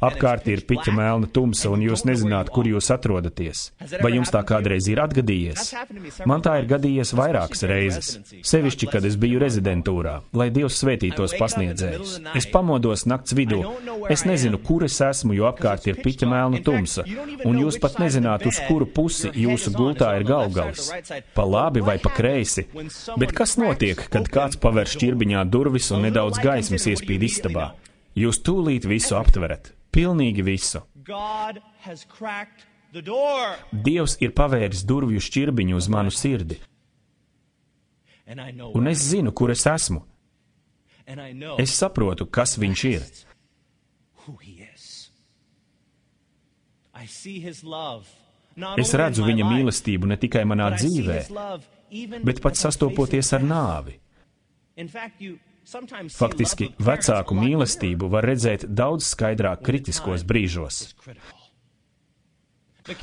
Apkārt ir piķa melna tumsa, un jūs nezināt, kur jūs atrodaties. Vai jums tā kādreiz ir atgadījies? Man tā ir gadījies vairākas reizes, sevišķi, kad es biju rezidentūrā, lai Dievs svētītos pasniedzējus. Es pamodos nakts vidū. Es nezinu, kur es esmu, jo apkārt ir piķa melna tumsa, un jūs pat nezināt, uz kuru pusi jūsu gultā ir galvgals. Pa labi vai pa kreisi. Bet kas notiek, kad kāds paver šķirbiņā durvis un nedaudz gaismas iespīd istabā? Jūs tūlīt visu aptverat. Pilnīgi visu. Dievs ir pavēris durvju šķirbiņu uz manu sirdi. Un es zinu, kur es esmu. Es saprotu, kas viņš ir. Es redzu viņa mīlestību ne tikai manā dzīvē, bet pat sastopoties ar nāvi. Faktiski, vecāku mīlestību var redzēt daudz skaidrāk kritiskos brīžos.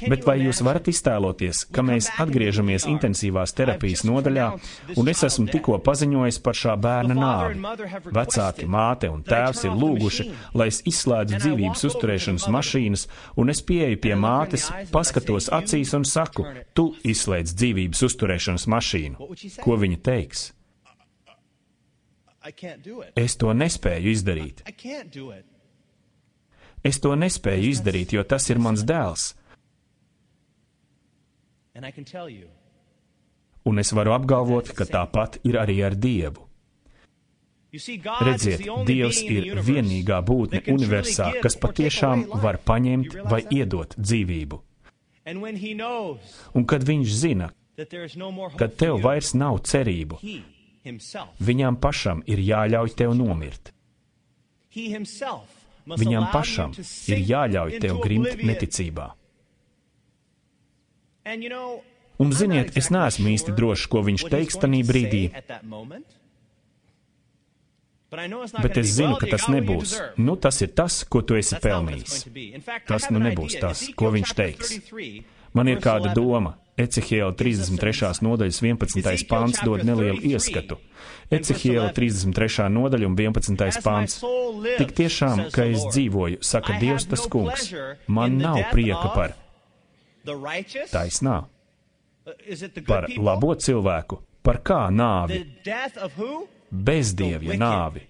Bet vai jūs varat iztēloties, ka mēs atgriežamies intensīvās terapijas nodaļā, un es esmu tikko paziņojis par šā bērna nāvi? Vecāki, māte un tēvs ir lūguši, lai es izslēdzu dzīvības uzturēšanas mašīnas, un es pieeju pie mātes, paskatos acīs un saku, tu izslēdz dzīvības uzturēšanas mašīnu. Ko viņa teiks? Es to nespēju izdarīt. Es to nespēju izdarīt, jo tas ir mans dēls. Un es varu apgalvot, ka tāpat ir arī ar Dievu. Redziet, Dievs ir vienīgā būtne universā, kas patiešām var paņemt vai iedot dzīvību. Un kad viņš zina, ka tev vairs nav cerību, viņam pašam ir jāļauj tev nomirt. Viņam pašam ir jāļauj tev grimt neticībā. Un ziniet, es neesmu īsti drošs, ko viņš teiks tanī brīdī, bet es zinu, ka tas nebūs. Nu, tas ir tas, ko tu esi pelnījis. Tas nu nebūs tas, ko viņš teiks. Man ir kāda doma. Ecehiela 33. nodaļas 11. pants dod nelielu ieskatu. Ecehiela 33. nodaļa un 11. pants. Tik tiešām, ka es dzīvoju, saka Dievs tas kungs, man nav prieka par taisnā, par labo cilvēku, par kā nāvi, bezdievja nāvi.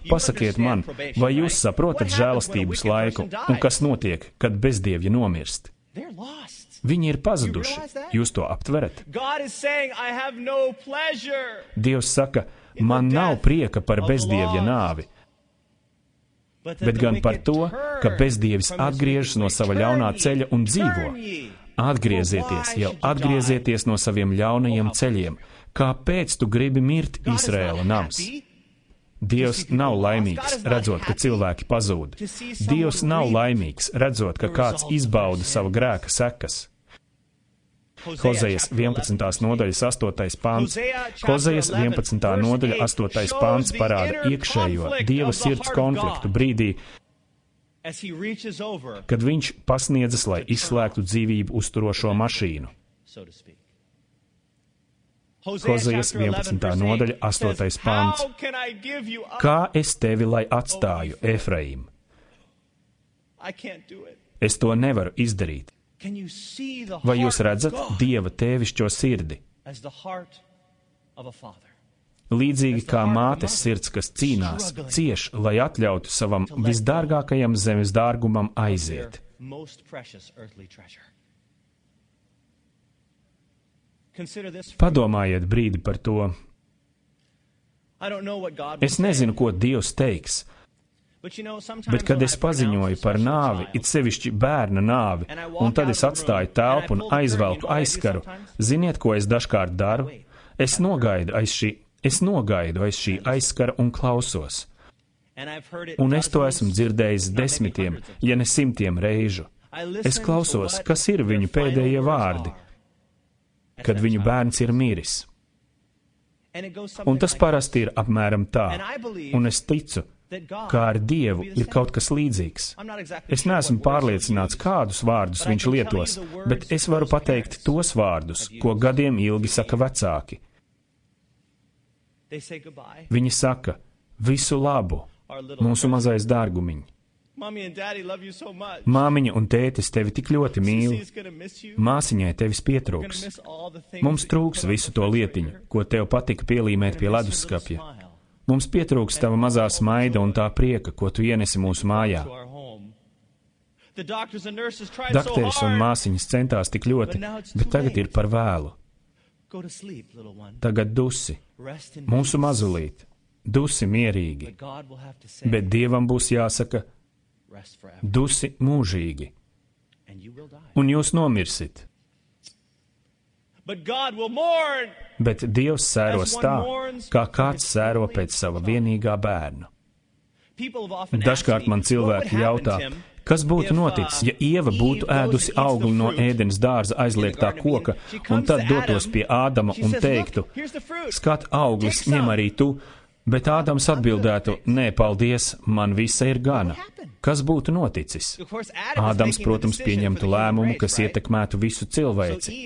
Pasakiet man, vai jūs saprotat žēlastības laiku un kas notiek, kad bezdievja nomirst? Viņi ir pazuduši. Jūs to aptverat? Dievs saka, man nav prieka par bezdievja nāvi, bet gan par to, ka bezdievis atgriežas no sava ļaunā ceļa un dzīvo. Atgriezieties, jau atgriezieties no saviem ļaunajiem ceļiem. Kāpēc tu gribi mirt, Izraēla nams? Dievs nav laimīgs, redzot, ka cilvēki pazūd. Dievs nav laimīgs, redzot, ka kāds izbauda savu grēka sekas. Hozejas 11. nodaļas 8. pants. Hozejas 11. nodaļa 8. pants parāda iekšējo Dieva sirds konfliktu brīdī, kad viņš pasniedzas, lai izslēgtu dzīvību uzturošo mašīnu. Hozejas 11. nodaļa 8. pants. Kā es tevi lai atstāju, Efraim? Es to nevaru izdarīt. Vai jūs redzat Dieva tēvišķo sirdi? Līdzīgi kā mātes sirds, kas cīnās, cieš, lai atļautu savam visdārgākajam zemes dārgumam aiziet. Padomājiet brīdi par to. Es nezinu, ko Dievs teiks, bet kad es paziņoju par nāvi, it sevišķi bērna nāvi, un tad es atstāju telpu un aizvelku aizskaru, ziniet, ko es dažkārt daru? Es nogaidu aiz šī aizskara un klausos. Un es to esmu dzirdējis 10, ja ne 100 reižu. Es klausos, kas ir viņu pēdējie vārdi, kad viņu bērns ir miris. Un tas parasti ir apmēram tā, un es ticu, kā ar Dievu ir kaut kas līdzīgs. Es neesmu pārliecināts, kādus vārdus viņš lietos, bet es varu pateikt tos vārdus, ko gadiem ilgi saka vecāki. Viņi saka, visu labu, mūsu mazais dārgumiņ. Māmiņa un tētis tevi tik ļoti mīl. Māsiņai tevis pietrūks. Mums trūks visu to lietiņu, ko tev patika pielīmēt pie leduskapja. Mums pietrūks tava mazā smaida un tā prieka, ko tu ienesi mūsu mājā. Dakteris un māsiņas centās tik ļoti, bet tagad ir par vēlu. Tagad dusi, mūsu mazulīt, dusi mierīgi, bet Dievam būs jāsaka, dusi mūžīgi, un jūs nomirsit. Bet Dievs sēros tā, kā kāds sēro pēc sava vienīgā bērna. Dažkārt man cilvēki jautā, kas būtu noticis, ja Ieva būtu ēdusi augli no Ēdenes dārza aizliegtā koka, un tad dotos pie Ādama un teiktu, skat, auglis ņem arī tu, bet Ādams atbildētu, nē, paldies, man visa ir gana. Kas būtu noticis? Ādams, protams, pieņemtu lēmumu, kas ietekmētu visu cilvēci.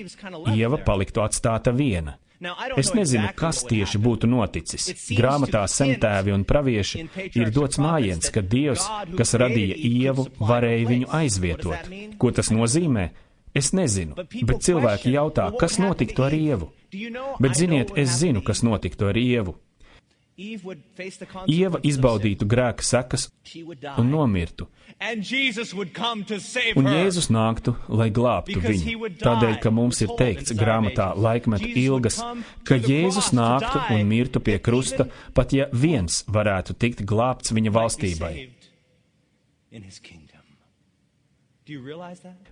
Ieva paliktu atstāta viena. Es nezinu, kas tieši būtu noticis. Grāmatā Sentēvi un pravieši ir dots mājiens, ka Dievs, kas radīja Ievu, varēja viņu aizvietot. Ko tas nozīmē? Es nezinu, bet cilvēki jautā, kas notiktu ar Ievu. Bet ziniet, es zinu, kas notiktu ar Ievu. Ieva izbaudītu grēka sekas un nomirtu. Un Jēzus nāktu, lai glābtu viņu. Tādēļ, ka mums ir teikts grāmatā Laikmetu ilgas, ka Jēzus nāktu un mirtu pie krusta, pat ja viens varētu tikt glābts viņa valstībai.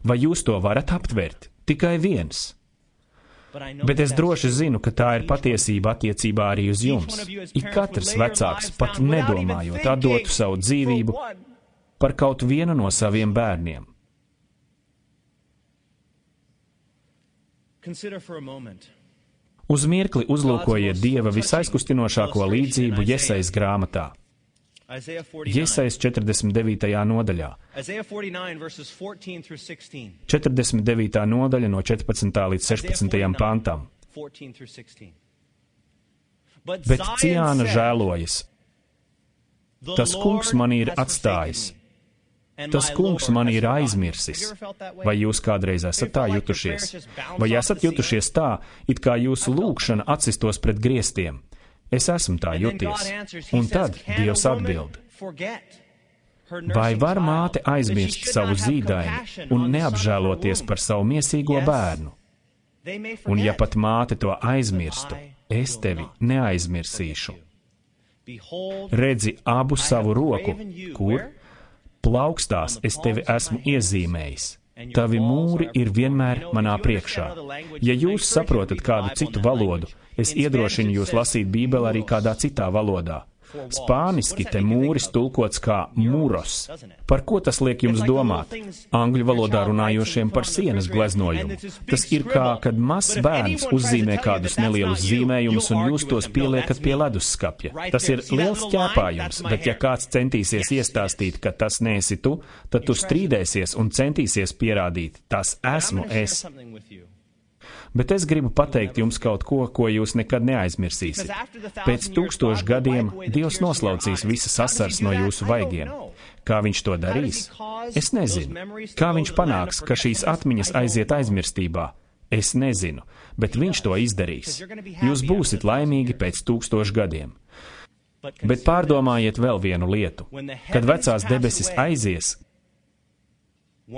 Vai jūs to varat aptvert? Tikai viens. Bet es droši zinu, ka tā ir patiesība attiecībā arī uz jums. Ik katrs vecāks, pat nedomājot, atdotu savu dzīvību par kaut vienu no saviem bērniem. Uz mirkli uzlūkojiet Dieva visaizkustinošāko līdzību Jesajas grāmatā. Jesajas 49. nodaļā. 49. nodaļa no 14. līdz 16. pantam. Bet Ciāna žēlojas. Tas kungs mani ir atstājis. Tas kungs mani ir aizmirsis. Vai jūs kādreiz esat tā jutušies? Vai esat jutušies tā, it kā jūsu lūgšana atsistos pret griestiem? Es esmu tā juties. Un tad Dievs atbild. Vai var māte aizmirst savu zīdaini un neapžēloties par savu miesīgo bērnu? Un ja pat māte to aizmirstu, es tevi neaizmirsīšu. Redzi abu savu roku, kur? Plaukstās es tevi esmu iezīmējis. Tavi mūri ir vienmēr manā priekšā. Ja jūs saprotat kādu citu valodu, es iedrošinu jūs lasīt Bībeli arī kādā citā valodā. Spāniski te mūris tulkots kā muros. Par ko tas liek jums domāt? Angļu valodā runājošiem par sienas gleznojumu. Tas ir kā, kad mazs bērns uzzīmē kādus nelielus zīmējumus un jūs tos pieliekat pie leduskapja. Tas ir liels ķēpājums, bet ja kāds centīsies iestāstīt, ka tas neesi tu, tad tu strīdēsies un centīsies pierādīt, tas esmu es. Bet es gribu pateikt jums kaut ko, ko jūs nekad neaizmirsīsiet. Pēc 1000 gadiem Dievs noslaucīs visas asaras no jūsu vaigiem. Kā viņš to darīs? Es nezinu. Kā viņš panāks, ka šīs atmiņas aiziet aizmirstībā? Es nezinu, bet viņš to izdarīs. Jūs būsiet laimīgi pēc 1000 gadiem. Bet pārdomājiet vēl vienu lietu. Kad vecās debesis aizies,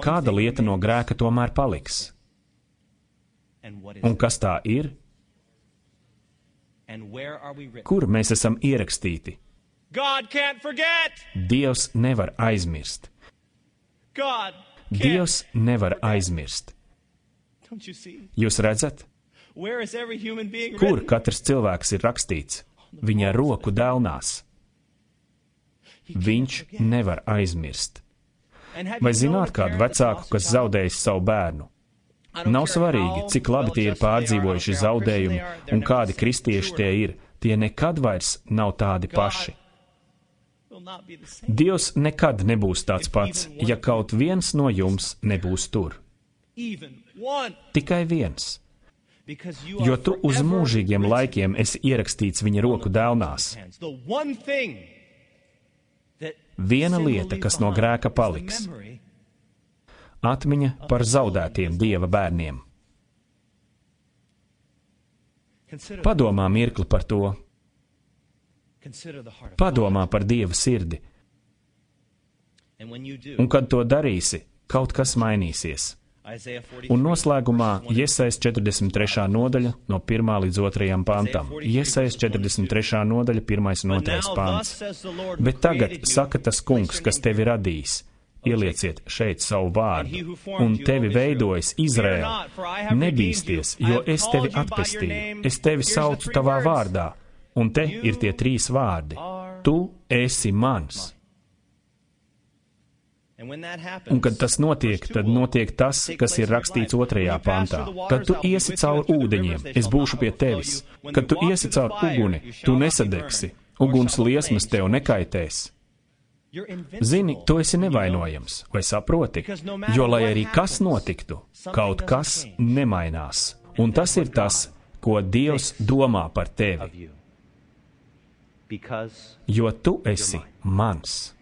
kāda lieta no grēka tomēr paliks? Un kas tā ir? Kur mēs esam ierakstīti? Dievs nevar aizmirst. Dievs nevar aizmirst. Jūs redzat? Kur katrs cilvēks ir rakstīts? Viņa roku dēlnās. Viņš nevar aizmirst. Vai zināt kādu vecāku, kas zaudējis savu bērnu? Nav svarīgi, cik labi tie ir pārdzīvojuši zaudējumi un kādi kristieši tie ir. Tie nekad vairs nav tādi paši. Dievs nekad nebūs tāds pats, ja kaut viens no jums nebūs tur. Tikai viens. jo tu uz mūžīgiem laikiem esi ierakstīts viņa roku delnās. Viena lieta, kas no grēka paliks - atmiņa par zaudētiem Dieva bērniem. Padomā mirkli par to. Padomā par Dieva sirdi. Un kad to darīsi, kaut kas mainīsies. Un noslēgumā Jesajas 43. nodaļa no 1. līdz 2. pantam. Jesajas 43. nodaļa 1. un 2. pants. Bet tagad saka tas kungs, kas tevi radījis. Ielieciet šeit savu vārdu, un tevi veidojis Izraēl. Nebīsties, jo es tevi atpestīju. Es tevi saucu tavā vārdā. Un te ir tie 3 vārdi. Tu esi mans. Un kad tas notiek, tad notiek tas, kas ir rakstīts 2. pantā. Kad tu iesi cauri ūdeņiem, es būšu pie tevis. Kad tu iesi cauri uguni, tu nesadegsi. Uguns liesmas tev nekaitēs. Zini, tu esi nevainojams, vai saproti? Jo, lai arī kas notiktu, kaut kas nemainās. Un tas ir tas, ko Dievs domā par tevi. Jo tu esi mans.